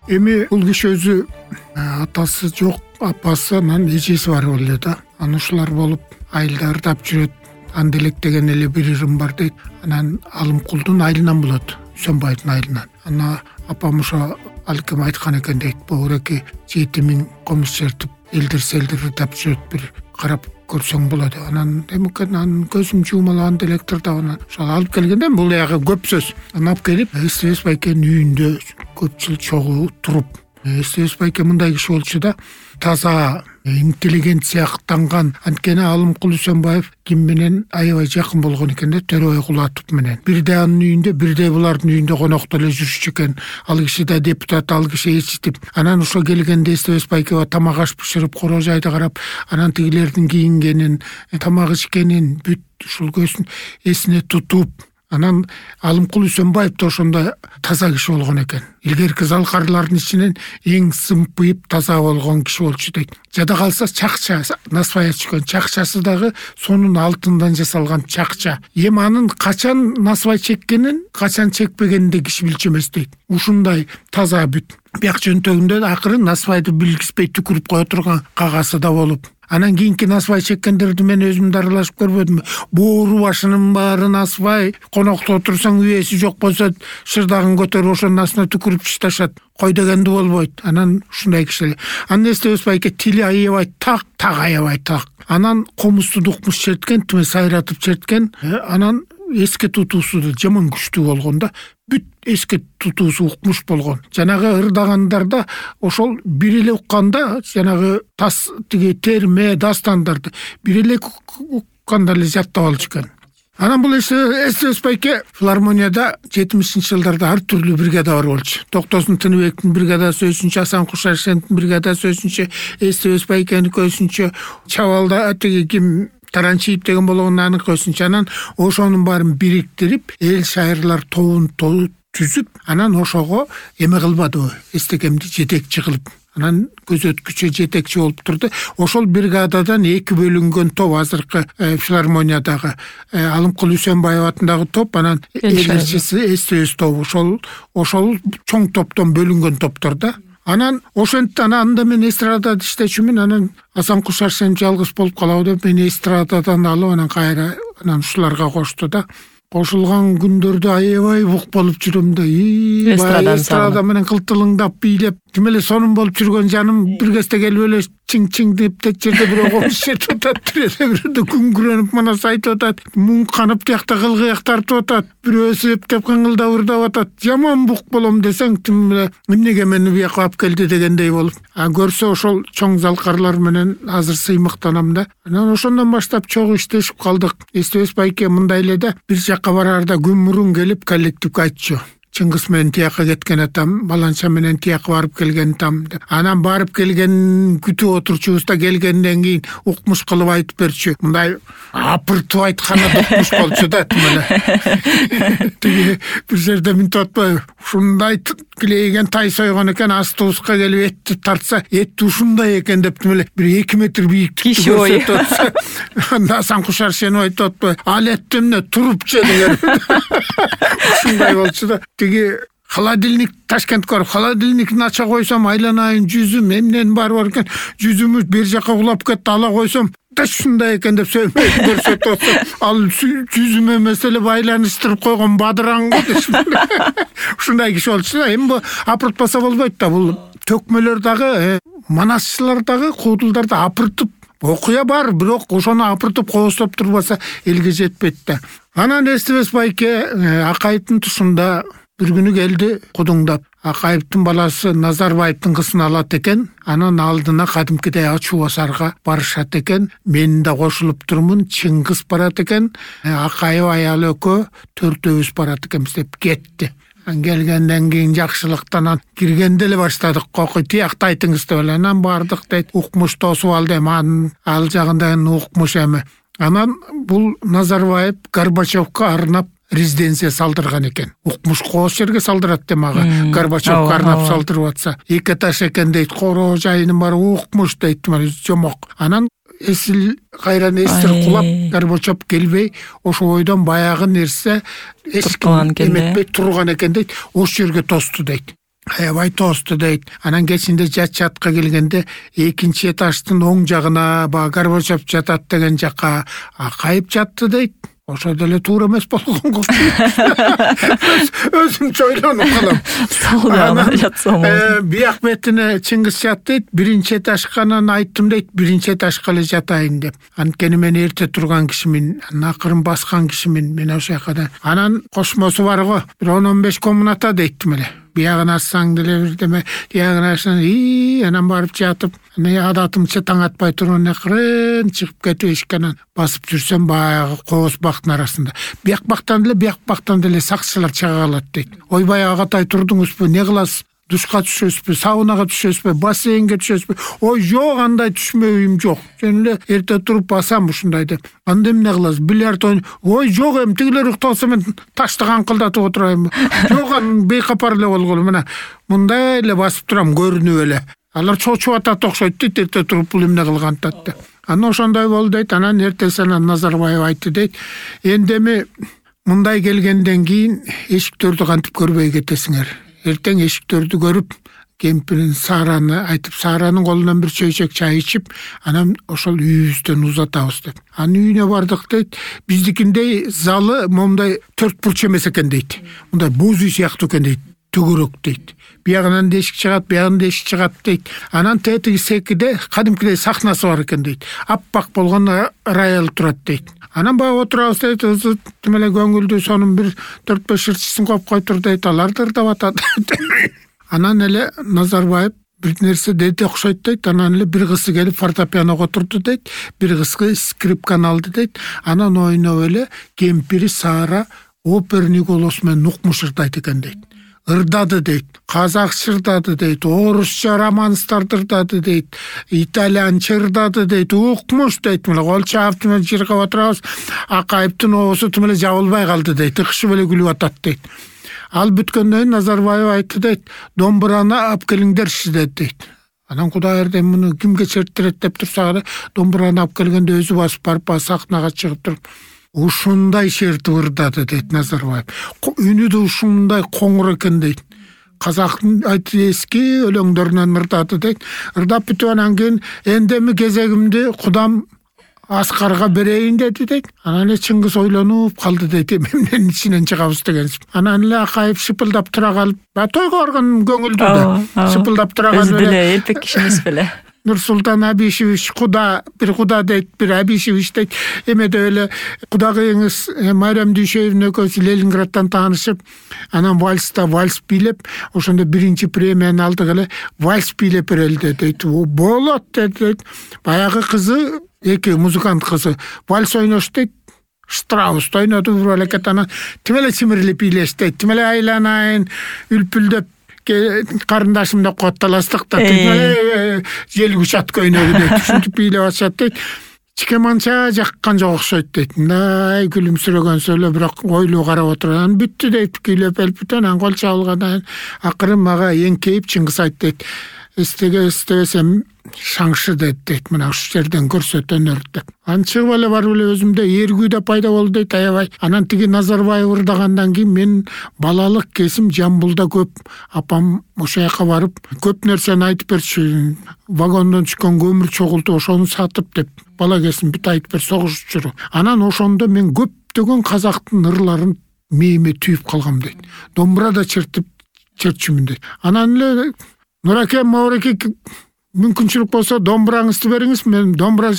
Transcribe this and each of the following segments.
Эми бул киши өзү атасы жок, апасы анан эжеси бар эле да. Анан ушулар болуп айылда ырдап жүрөт. Анделек деген эле бир ырым бар дейт. Анан Алымкулдун айылынан болот, Үсөнбайдын айылынан. Анан апам ошо алкем айткан экен дейт. Богуреки 7000 комуз чертип элдир ырдап жүрөт, бир карап көрсөң болот. Анан эмекен анын көзүм жумалап анделектирди. Анан ошол алып келгенде бул ягы көп сөз. Анан алып келип Эстебес байкенин үйүндө көп жыл чогуу туруп. Эстебес байке мындай киши болчу да, таза, интеллигенциялыктанган. Анткени Алымкул Үсөнбаев ким менен аябай жакын болгон экен да, Төрөбай Кулатов менен. Бирде анын үйүндө, бирде булардын үйүндө конокто эле жүрүшчү экен. Ал киши да депутат, ал киши эчитип. Анан ошо келгенде Эстебес байкега тамак аш бышырып, короо жайды карап, анан тигилердин кийингенин, тамак ичкенин бүт ушул көзүн эсине тутуп, анан Алымкул Үсөнбаев да ошондой таза киши болгон экен. Илгерки залкарлардын ичинен эң сымпыйып таза болгон киши болчу дейт. Жада калса чакча, насвай чыккан чакчасы дагы сонун алтындан жасалган чакча. Эми анын качан насвай чеккенин, качан чекпегенин да киши билчү эмес дейт. Ушундай таза бүт. Бияк жөнтөгүндө акырын насвайды билгизбей түкүрүп кое турган кагасы да болуп. Анан кийинки насвай чеккендерди мен өзүм да аралашып көрбөдүм. Боору башынын баары насвай, конокто отурсаң үйөсү жок болсо шырдагын көтөрүп ошонун астына түкүрүп чышташат. Кой дегенди болбойт. Анан ушундай киши. Анан Эстебес байке тили аябай так аябай так. Анан комузду дукмуш черткен, тиме сайратып черткен. Анан эске тутуусу да жаман күчтүү болгон да. Бүт эске тутуусу укмуш болгон. Жанагы ырдагандарда ошол бир эле укканда, жанагы тас тиги терме дастандарды бир эле укканда эле жаттап алчу экен. Анан бул Эстебес байке филармонияда 70-жылдарда ар түрлүү бригада бар болчу. Токтосун Тыныбектин бригадасы өзүнчө, Асан Кушаршендин бригадасы өзүнчө, Эстебес байкенин өзүнчө, Чабалда тиги ким Таранчиев деген болгон анын өзүнчө. Анан ошонун баарын бириктирип, эл шайырлар тобун түзүп, анан ошого эме кылбадыбы, эстекемди жетекчи кылып. Анан көзөткүчү жетекчи болуп турду. Ошол бригададан 2 бөлүнгөн топ, азыркы филармониядагы Алымкул Үсөнбаев атындагы топ, анан элчиси Эстебес тобу. Ошол чоң топтон бөлүнгөн топтор да. Анан ошентип анда мен эстрадада иштечүмүн. Анан Асан Кушаршен жалгыз болуп калабы деп мени эстрададан алып, анан кайра ушуларга кошту да. Кошулган күндөрдө аябай бук болуп жүрөм да. Эстрада менен кылтылыңдап бийлеп, ким эле сонун болуп жүргөн жаным бир кезде келип эле чиң деп жерде бирөө комуз чертип атат, бирөө күңгүрөнүп манас айтып атат, муң канып тиякта кылгыяк тартып атат, бирөөсү эптеп кыңылдап ырдап атат. Жаман бук болом десең, тим эле эмнеге мени бияка алып келди дегендей болуп. Көрсө ошол чоң залкарлар менен азыр сыймыктанам да. Анан ошондон баштап чогуу иштешип калдык. Эстебес байке мындай эле да, бир жакка барарда күн мурун келип коллективге айтчу. Чыңгыз менен тияка кеткен атам, Баланча менен тияка барып келген атам. Анан барып келген күтүп отурчубуз да, келгенден кийин укмуш кылып айтып берчү. Мындай апыртып айтканы укмуш болчу да, тимеле. Тиги бир жерде минтип атпайбы? Ушундай килейген тай сойгон экен, автобуска келип этти тартса, эти ушундай экен деп тимеле бир 2 метр бийиктикти көрсөтүп атса. Анда Асан Кушаршен айтып атпайбы? Ал этти эмне турупчу деген. Ушундай болчу да. Тиги холодильник Ташкентке барып, холодильникин ача койсом, айланайын жүзүм эмнен бар экен, жүзүмү бер жака кулап кетти, ала койсом, да ушундай экен деп сөймөй көрсөтүп атса, ал жүзүм эмес эле байланыштырып койгон бадыраң го деп. Ушундай киши болчу да. Эми бу апыртпаса болбойт да, бул төкмөлөр дагы, манасчылар дагы, куудулдар да апыртып окуя бар, бирок ошону апыртып кооздоп турбаса элге жетпейт да. Анан Эстебес байке Акаевдин тушунда бир күнү келди кудуңдап. Акаевдин баласы Назарбаевдин кызын алат экен. Анан алдына кадимкидей ачуу басарга барышат экен. Мен да кошулуп турмун. Чыңгыз барат экен. Акаев аялы экөө төртөөбүз барат экенбиз деп кетти. Келгенден кийин жакшылыктан киргенде эле баштадык. Кокуй тиякты айтыңыз деп эле. Анан бардык дейт. Укмуш тосуп алды эми, ал жагындан укмуш эми. Анан бул Назарбаев Горбачевка арнап резиденция салдырган экен. Укмуш кооз жерге салдырат демага. Горбачевка арнап салдырып атса, 2 этаж экен дейт. Короо жайынын баары укмуш дейт, жомок. Анан кайран эстир кулап, Горбачев келбей, ошо ойдон баягы нерсе эметпей турган экен дейт. Ош жерге тосту дейт. аябай тоосту дейт. Анан кечинде жат-жатка келгенде экинчи этаждын оң жагына баягы Горбачев жатат деген жакка акайып жатты дейт. Ошо деле туура эмес болгонго өзүмчө ойлонуп калам. Сол жагына жатсам болот. Бияк бетине Чыңгыз жат дейт. Биринчи этажганан айттым дейт, биринчи этажга эле жатайын деп. Анткени мен эрте турган кишимин, акырын баскан кишимин. Мен ошол жакка анан кошмосу бар го. Бир 10-15 комната дейттим эле. Биягын ачсаң деле бирдеме, биягын ачсаң анан барып жатып, адатымча таң атпай турган акырын чыгып кетип эшиккенен басып жүрсөм баягы кооз бактын арасында. Бияк бактан деле сакчылар чыга калат дейт. Ойбай агатай турдуңузбу, не кыласыз? Душка түшөсүзбү, саунага түшөсүзбү, бассейнге түшөсүзбү? Ой, жок, андай түшмөйм, жок. Жөн эле эрте туруп басам ушундай деп. Анда эмне кыласыз? Бильярд ойн. Ой, жок, тигилер укталса мен ташты канкылдатып отурайм. Жок, бейкапар эле болгулу. Мына мындай эле басып турам, көрүнүп эле. Алар чочуп атат окшойт дейт, эрте туруп бул эмне кылгантат деп. Анан ошондой болду дейт. Анан эртесинен Назарбаев айтты дейт. Эми мындай келгенден кийин эшиктерди кантип көрбөй кетесиңер? Эртең эшиктерди көрүп, кемпирин Саараны айтып, Сааранын колунан бир чөйчөк чай ичип, анан ошол үйүбүздөн узатабыз деп. Анын үйүнө бардык дейт. Биздикиндей залы момундай 4 бурч эмес экен дейт. Мындай боз үй сыяктуу экен дейт. Төгөрөк дейт. Биягынан эшик чыгат, биягынан эшик чыгат дейт. Анан тетиги секиде кадимкидей сахнасы бар экен дейт. Аппак болгон рояль турат дейт. Анан баягы отурабыз дейт, тим эле көңүлдүү сонун бир 4-5 ырчысын коюп койтур дейт, аларды ырдап атат. Анан эле Назарбаев бир нерсе деди окшойт дейт. Анан эле бир кызы келип фортепианого отурду дейт, бир кызы скрипканы алды дейт. Анан ойноп эле кемпири Саара оперный голос менен укмуш ырдайт экен дейт. Ырдады дейт, казакча ырдады дейт, орусча романстарды ырдады дейт, итальянча ырдады дейт, укмуш дейт. Мына кол чаап менен жыргап отурабыз, акайыптын оозу тим эле жабылбай калды дейт, ыкшып эле күлүп атат дейт. Ал бүткөндөн кийин Назарбаев айтты дейт, домбураны алып келиңдерчи дейт. Анан Кудай эрдем муну кимге черттирет деп турса, домбураны алып келгенде өзү басып барып сахнага чыгып туруп ушундай шертип ырдады дейт Назарбаев. Үнү да ушундай коңур экен дейт. Казактын эски өлөңдөрүнөн ырдады дейт. Ырдап бүтүп анан кийин эндеми кезегимди Кудам Аскарга берейин деди дейт. Анан эле Чыңгыз ойлонуп калды дейт, эмненин ичинен чыгабыз дегенсип. Анан эле акайып шыпылдап тура калып, тойго барган көңүлдүү да шыпылдап тура калып эле. Өзү деле элпек киши эмес беле. Нурсултан Абишевич Куда дейт, бир Абишевич дейт. Эмеде эле кудагыйыңыз Майрам Дүйшөевдүн экөөсү Ленинградтан таанышып, анан вальс бийлеп, ошондо биринчи премияны алдык эле, вальс бийлеп берели дейт. Болот дейт. Баягы кызы, эки музыкант кызы вальс ойнош дейт. Штраус ойноду бир балекет, анан тим эле чимирлеп бийлеш дейт. Тим эле айланайын үлпүлдөп карындашым деп котталастык да жел кучат көйнөгү дейт. Ушинтип бийлеп атышат дейт. Чикеманча жаккан жок окшойт дейт. Мындай күлүмсүрөгөнсө эле бирок ойлуу карап отурган. Бүттү дейт, күйлөп элпүтөн анан кол чабылгандан акырын мага эңкейип Чыңгыз айтты дейт. Эстебесем шаңшы дейт. Мына ушу жерден көрсөтөнөр деп. Анан чыгып эле барып эле өзүмдө эргүү да пайда болду дейт, аябай. Анан тиги Назарбаев ырдагандан кийин мен балалык кезим Жамбылда көп. Апам ошо жака барып көп нерсени айтып берчү. Вагондон түшкөн көмүр чогултуп ошону сатып деп. Бала кезим бүт айтып бер, согушчу. Анан ошондо мен көптөгөн казактын ырларын мээме түйүп калгам дейт. Домбура да чертчүмүн дейт. Анан эле Нураке, Мауреке, мүмкүнчүлүк болсо домбураңызды бериңиз, мен домбура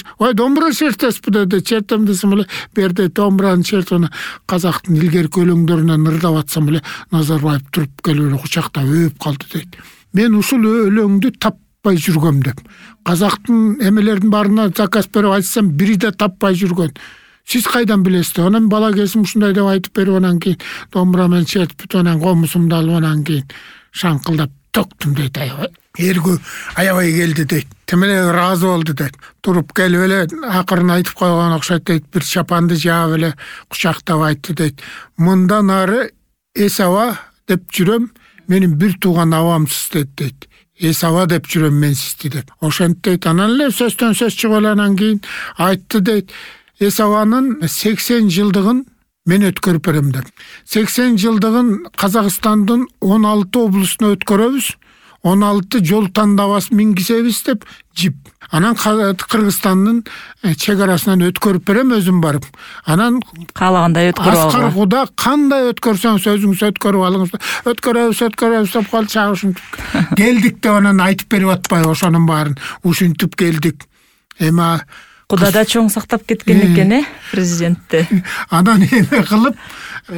чертесизби деди. Чертем десем эле берди, домбураны чертип казактын илгерки өлөңдөрүнөн ырдап атсам эле Назарбаев туруп келип эле кучактап өөп калды дейт. Мен ушул өлөңдү таппай жүргөм деп. Казактын эмелердин баарына заказ берип айтсам, бири да таппай жүргөн. Сиз кайдан билесиз? Анан бала кезим ушундай деп айтып берип, анан кийин домбура менен чертип, анан комусумду алып, анан кийин шаңкылдап токтум дейт. Эргүү аябай келди дейт. Тим эле ыраазы болду дейт. Туруп келип эле акырын айтып койгон окшойт дейт. Бир чапанды жаап эле кучактап айтты дейт. Мындан ары эс аба деп жүрөм, менин бир тууган абамсыз дейт. Эс аба деп жүрөм мен сизди деп. Ошентип дейт. Анан эле сөздөн сөз чыгып эле анан кийин айтты дейт. Эс абанын 80 жылдыгын мен өткөрүп берем деп. 80 жылдыгын Казакстандын 16 облусуна өткөрөбүз. 16 жол тандабас мингизебиз деп жип. Анан Кыргызстандын чек арасынан өткөрүп берем өзүм барып. Анан каалагандай өткөрүп алгыла. Аскар Куда кандай өткөрсөңүз өзүңүз өткөрүп алыңыз. Өткөрөбүз деп калып чагышынтып келдик деп анан айтып берип атпайбы ошонун баарын. Ушинтип келдик. Эми Куда да чоң сактап кеткен экен, президентти. Анан эме кылып,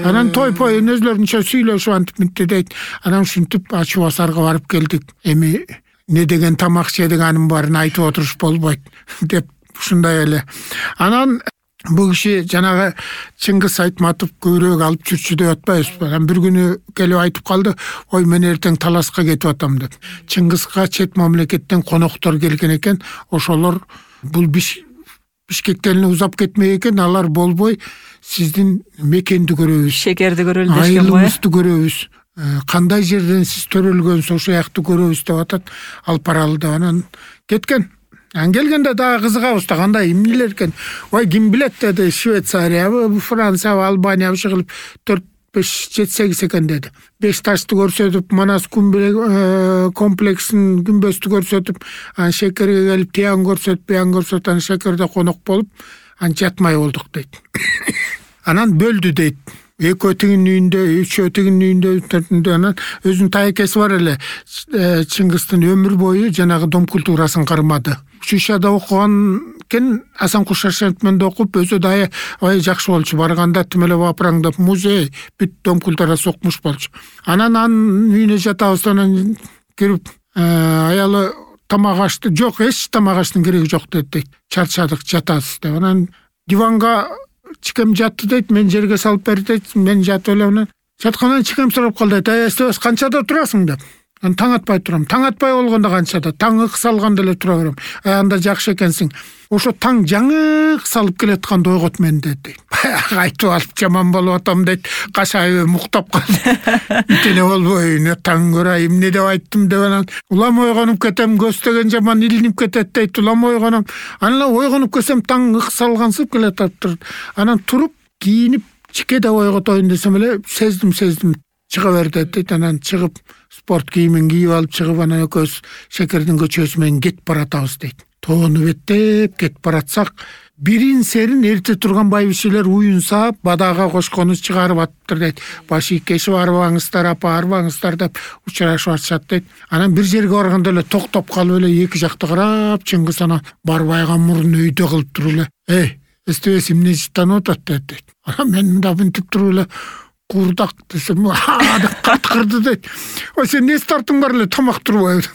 анан той-пойун өзлөрүнчө сүйлөшүп антип мынтип дейт. Анан ушинтип Ачуу Асарга барып келдик. Эми не деген тамак жедик анын баарын айтып отуруш болбойт деп ушундай эле. Анан бул киши жанагы Чыңгыз Айтматов көбүрөөк алып жүрчү деп атпайбызбы? Анан бир күнү келип айтып калды, ой мен эртең таласка кетип атам деп. Чыңгызга чет мамлекеттен коноктор келген экен, ошолор бул Бишкектен узап кетмек экен, алар болбой сиздин мекенди көрөбүз. Шекерди көрөлү дешкен го. Айылыңызды көрөбүз. Кандай жерден сиз төрөлгөнсүз ошол жакты көрөбүз деп атат. Алып баралы деп анан кеткен. Анан келгенде дагы кызыгабыз да, кандай эмнелер экен. Ой, ким билет деди, Швециябы, Франциябы, Албаниябы кылып 4-5-7-8 экен деди. Бешташты көрсөтүп, Манас комплексин күмбөздү көрсөтүп, анан Шекерге келип тиян көрсөтүп, анан Шекерде конок болуп, анан жатмай болдук дейт. Анан бөлдү дейт. Экөө тигинин үйүндө, үчөө тигинин үйүндө, төртүндө анан өзүнүн тайкеси бар эле. Чыңгыздын өмүр бою жанагы дом культурасын кармады. Шишада окуган экен, Асан Кушашев менен окуп, өзү да жакшы болчу. Барганда тим эле бапыраңдап музей, бүт дом культурасы окумуш болчу. Анан анын үйүнө жатабыз, анан кирип, аялы тамак ашты. Жок, эч тамак аштын кереги жок дейт. Чарчадык, жатабыз деп. Анан диванга чикем жатты дейт, мен жерге салып бер дейт, мен жатып эле анан жаткандан чикем сурап калды дейт, "Эстебес, канчада турасың?" деп. Мен таң атпай турам. Таң атпай болгондо канчада? Таң ыкс алганда эле тура берем. Анда жакшы экенсиң. Ошо таң жаңы салып келатканда ойгот мен дейт. Айтып алып жаман болуп атам дейт. Кашайып муктап калды. Итене болбой, не таң көрөй, эмне деп айттым деп анан улам ойгонуп кетем, көстөгөн жаман илинип кетет дейт. Улам ойгонам. Анан ойгонуп кетсем таң ыкс алгансып келатыптыр. Анан туруп, кийинип, чикеде ойготоюн десем эле сездим. Чыга берди дейт. Анан чыгып спорт кийимин кийип алып чыгып, анан экөөбүз Шекердин көчөсү менен кетип баратабыз дейт. Тоону беттеп кетип баратсак, бирин серин эрте турган байбишелер уюнса, бадага кошкону чыгарып атыптыр дейт. Баш ийкешип арбаңыздар, апа арбаңыздар деп учурашып атышат дейт. Анан бир жерге барганда эле токтоп калып эле эки жакты карап, Чыңгыз анан барбайга мурун өйдө кылып туруп эле, эстебес эмне жыттанып атат дейт. Анан мен мында мынтип туруп эле курдак десем, деп каткырды дейт. Ой, сен эмне тартың бар эле тамак турбайбы?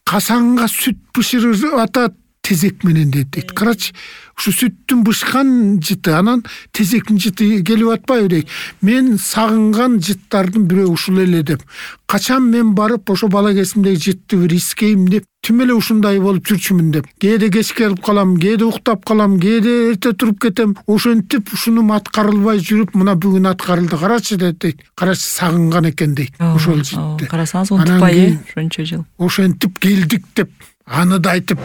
Касанга сүт бышырып атат тезек менен дейт. Карачы, ушу сүттүн бышкан жыты, анан тезектин жыты келип атпайбы дейт. Мен сагынган жыттардын бирөө ушул эле деп. Качан мен барып ошо бала кезимдеги жытты бир искейм деп, тим эле ушундай болуп жүрчүмүн деп. Кээде кеч келип калам, кээде уктап калам, кээде эрте туруп кетем. Ошентип ушуну аткарылбай жүрүп, мына бүгүн аткарылды. Карачы дейт. Карачы сагынган экен дейт. Ошол жытты. Карасаңыз унутпай, ошончо жыл. Ошентип келдик деп, аны да айтып